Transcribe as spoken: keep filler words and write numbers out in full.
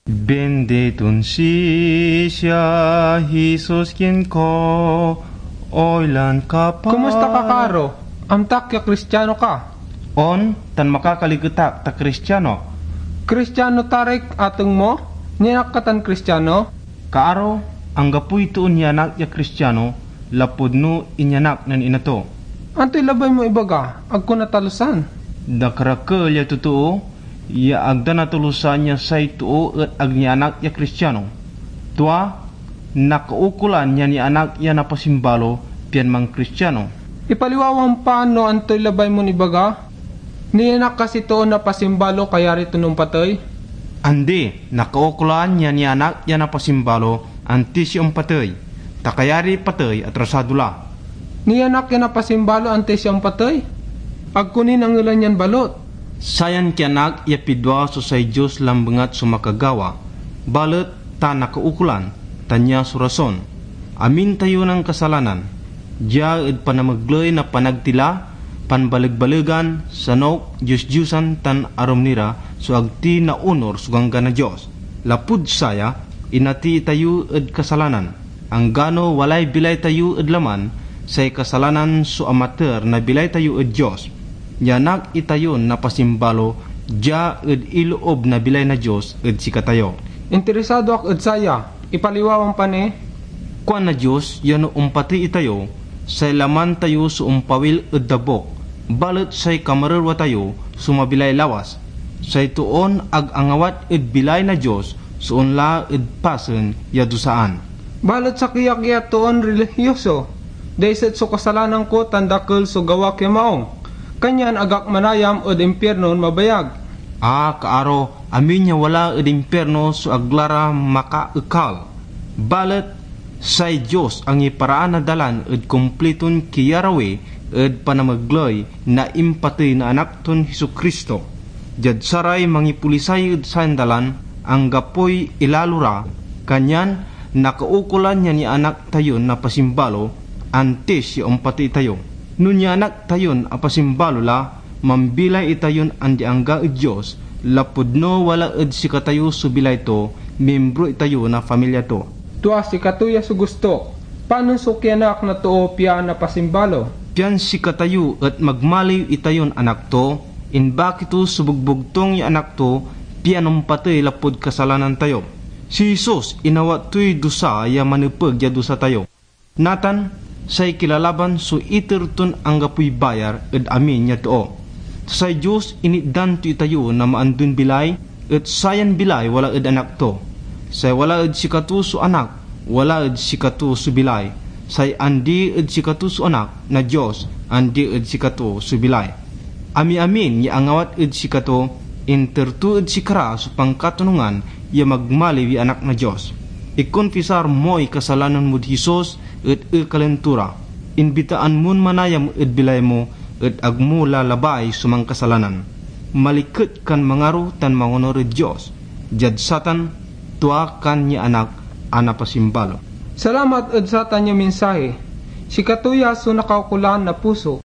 Benditon sisia, Jesus kin ko, oy lan kapal. Kumusta ka, Karo? Amtak ya Kristiano ka. On, tan makakaliket ak ta Kristiano. Kristiano tarik ateng mo? Nianak ka tan Kristiano? Kaaro, anggapoy toon nianak ya Kristiano, lapud no inyanak nen ina to. Antoy labay mo ibaga? Agko natalusan. Dakerakel ya totoo ya ag da natalusan ya say too et ag nianak ya Kristiano. Tua, nakaukolan ya nianak ya napasimbalo pian manKristiano. Ipaliwawam pa no antoy labay mon ibaga? Nianak kasi toon napasimbalo, kayari ton ompatey? Andi, nakaukolan ya nianak ya napasimbalo antis ya ompatey, ta kayariy patey atrasado la. Nianak ya napasimbalo antis ya ompatey? Agko ni nangelan yan balot. Sayan kianak ya pidwa so say Dios lambengat so makagawa, balet ta nakaukolan, ta nia so rason. Amin tayo nankasalanan. Dia ed panamegley na panagtila, panbalegbaleg-an, sanok, diosdiosan, tan arum ni ra so ag ti naonor so Ganggan na Dios. Lapud saya, inati tayo ed kasalanan, anggano walay bilay tayo ed laman, say kasalanan so amater na bilay tayo ed Dios. Nianak itayon napasimbalo dia ed iloob na bilay na Dios ed sikatayo. Interesado ak ed saya. Ipaliwawam pa ni. Kuan na Dios ya no ompatey itayo, say laman tayo so ompawil ed dabuk, balet say kamarerwa tayo so mabilay lawas. Say toon ag angawat ed bilay na Dios so onla ed pasen ya dusaan. Balet sakey ak ya toon relihioso, daiset so kasalanan ko tan dakel so gawak ya maong, kanyan ag ak manayam ed impiernon mabayag. Ah, kaaro, amin ya wala ed impierno so ag la ra makaekal. Balet say Dios angiparaan a dalan ed kumpliton kiyarawi ed panamegley na impatey na Anak ton Jesu-Cristo. Diad saray mangipolisay ed sayan dalan, anggapoy ilalo ra, kanyan nakaukolan ya nianak tayon napasimbalo antis ya ompatey tayo. No nianak tayon apasimbalo la, mambilay itayon andi-angga ed Dios, lapud no wala ed sikatayo so bilay to, miembro itayo na pamilya to. Tua sikato ya so gusto. Panon so kianak na too pian napasimbalo? Pian sikatayo et magmaliw itayon anak to, imbaki to so bugbugtong ya anak to, pian ompatey lapud kasalanan tayo. Si Jesus, inawat toy dusa ya manepeg ya dusa tayo. Natan, say kilalaban so iter ton anggapoy bayar ed amin ya too. Ta say Dios initdan to itayo na maandon bilay, et sayan bilay wala ed Anak to. Say wala ed sikato so Anak, wala ed sikato so bilay. Say andi ed sikato so Anak na Dios, andi ed sikato so bilay. Amiamin ya angawat ed sikato, inter to ed sikara so pankatonungan ya magmaliw ya Anak na Dios. Ikonfisar moy kasalanan mod Jesus et ekalen to ra. Imbitaan mon manayam ed bilay mo et ag mo la labay so mankasalanan. Maliket kan mangaro tan mangonur ed Dios. Diad satan, tua kan ya Anak a napasimbalo. Salamat ed satan ya mensahe. Sikato ya so nakaukolan na puso.